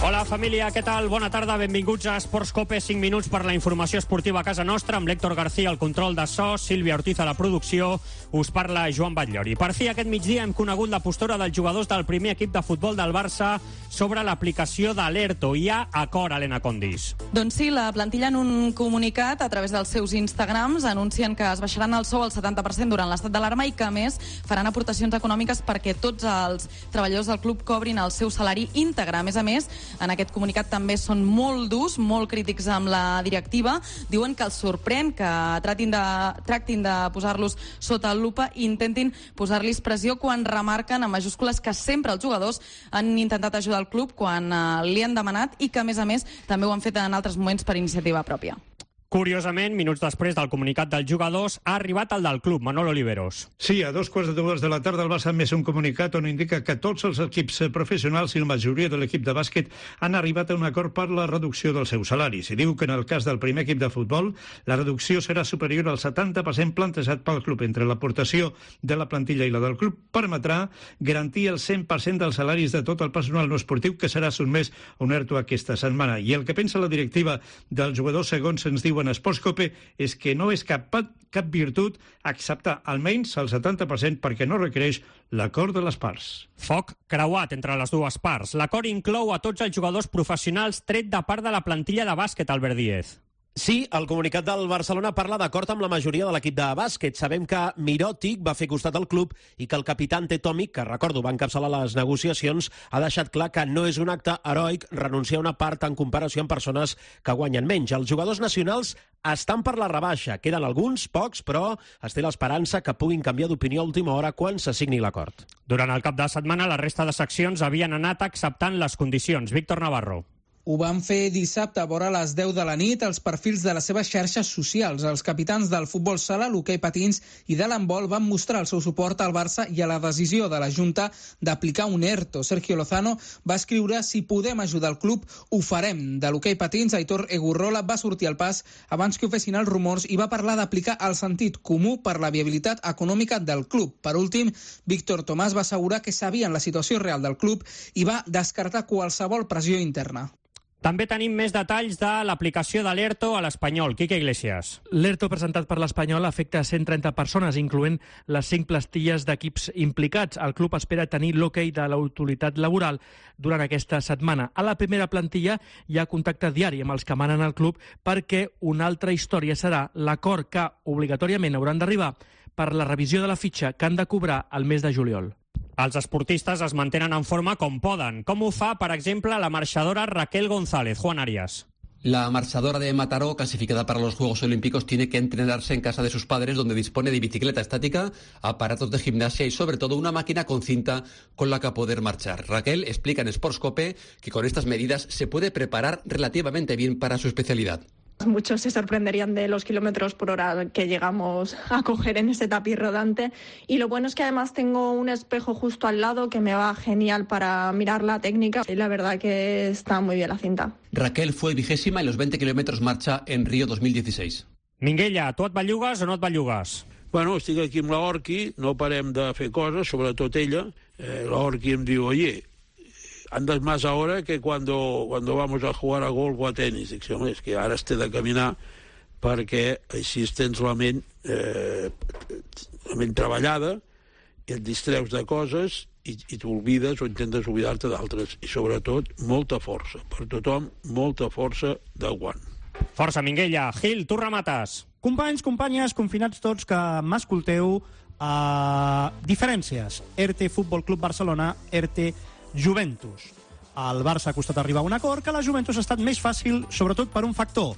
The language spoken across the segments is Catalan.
Hola família, què tal? Bona tarda, benvinguts a Esports Cope, 5 minuts per la informació esportiva a casa nostra, amb l'Héctor García al control de so, Sílvia Ortiz a la producció, us parla Joan Batllori. Per fi aquest migdia hem conegut la postura dels jugadors del primer equip de futbol del Barça sobre l'aplicació de l'ERTO. Hi ha acord, Helena Condis. Doncs sí, la plantilla en un comunicat a través dels seus Instagrams anuncien que es baixaran el sou al 70% durant l'estat d'alarma i que, a més, faran aportacions econòmiques perquè tots els treballadors del club cobrin el seu salari íntegre. A més, en aquest comunicat també són molt durs, molt crítics amb la directiva. Diuen que els sorprèn que tractin de posar-los sota el lupa i intentin posar-los pressió quan remarquen en majúscules que sempre els jugadors han intentat ajudar el club quan li han demanat i que, a més, també ho han fet en altres moments per iniciativa pròpia. Curiosament, minuts després del comunicat dels jugadors, ha arribat el del club, Manolo Oliveros. Sí, a 2:15 de la tarda el Barça ha emès un comunicat on indica que tots els equips professionals i la majoria de l'equip de bàsquet han arribat a un acord per la reducció dels seus salaris. I diu que en el cas del primer equip de futbol, la reducció serà superior al 70% plantejat pel club. Entre l'aportació de la plantilla i la del club permetrà garantir el 100% dels salaris de tot el personal no esportiu que serà sotmès a un ERTO aquesta setmana. I el que pensa la directiva dels jugadors, segons ens diuen Esports Cope, és que no és cap virtut acceptar almenys el 70% perquè no requereix l'acord de les parts. Foc creuat entre les dues parts. L'acord inclou a tots els jugadors professionals tret de part de la plantilla de bàsquet, Albert Díez. Sí, el comunicat del Barcelona parla d'acord amb la majoria de l'equip de bàsquet. Sabem que Mirotic va fer costat al club i que el capità Ante Tomic, que recordo va encapçalar les negociacions, ha deixat clar que no és un acte heroic renunciar a una part en comparació amb persones que guanyen menys. Els jugadors nacionals estan per la rebaixa. Queden alguns, pocs, però es té l'esperança que puguin canviar d'opinió a última hora quan se signi l'acord. Durant el cap de setmana, la resta de seccions havien anat acceptant les condicions. Víctor Navarro. Ho van fer dissabte a vora les 10 de la nit als perfils de les seves xarxes socials. Els capitans del futbol sala, l'hoquei patins i de l'handbol van mostrar el seu suport al Barça i a la decisió de la Junta d'aplicar un ERTO. Sergio Lozano va escriure: si podem ajudar el club, ho farem. De l'hoquei patins, Aitor Egurrola va sortir al pas abans que ho fessin els rumors i va parlar d'aplicar el sentit comú per la viabilitat econòmica del club. Per últim, Víctor Tomàs va assegurar que sabien la situació real del club i va descartar qualsevol pressió interna. També tenim més detalls de l'aplicació de l'ERTO a l'Espanyol. Quique Iglesias. L'ERTO presentat per l'Espanyol afecta 130 persones, incloent les 5 plantilles d'equips implicats. El club espera tenir l'hoquei de l'autoritat laboral durant aquesta setmana. A la primera plantilla hi ha contacte diari amb els que manen al club perquè una altra història serà l'acord que obligatòriament hauran d'arribar per la revisió de la fitxa que han de cobrar el mes de juliol. Els esportistes es mantenen en forma com poden. Com ho fa, per exemple, la marxadora Raquel González. Juan Arias. La marchadora de Mataró, clasificada para los Juegos Olímpicos, tiene que entrenarse en casa de sus padres, donde dispone de bicicleta estática, aparatos de gimnasia y sobre todo una máquina con cinta con la que poder marchar. Raquel explica en Sports Cope que con estas medidas se puede preparar relativamente bien para su especialidad. Muchos se sorprenderían de los kilómetros por hora que llegamos a coger en ese tapiz rodante, y lo bueno es que además tengo un espejo justo al lado que me va genial para mirar la técnica y la verdad que está muy bien la cinta. Raquel fue 20ª en los 20 kilómetros marcha en Río 2016. Minguella, tu et bellugues o no et bellugues? Bueno, estic aquí amb l'Orqui, no parem de fer coses, sobretot ella. L'Orqui em diu: oye, andas más ahora que cuando vamos a jugar a golf o a tenis. Dic, home, és que ara has de caminar perquè així tens la ment treballada i et distreus de coses i t'oblides o intentes oblidar-te d'altres. I sobretot, molta força. Per tothom, molta força d'aguant. Força, Minguella. Gil, tu remates. Companys, companyes, confinats tots que m'escolteu, diferències. ERTE Futbol Club Barcelona, ERTE Juventus. El Barça ha costat arribar a un acord que la Juventus ha estat més fàcil, sobretot per un factor: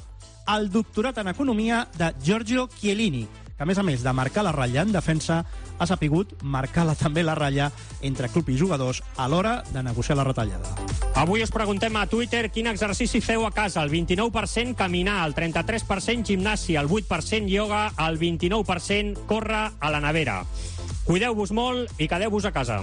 el doctorat en Economia de Giorgio Chiellini, que a més de marcar la ratlla en defensa, ha sapigut marcar també la ratlla entre club i jugadors a l'hora de negociar la retallada. Avui us preguntem a Twitter quin exercici feu a casa. El 29% caminar, el 33% gimnàsia, el 8% ioga, el 29% córrer a la nevera. Cuideu-vos molt i quedeu-vos a casa.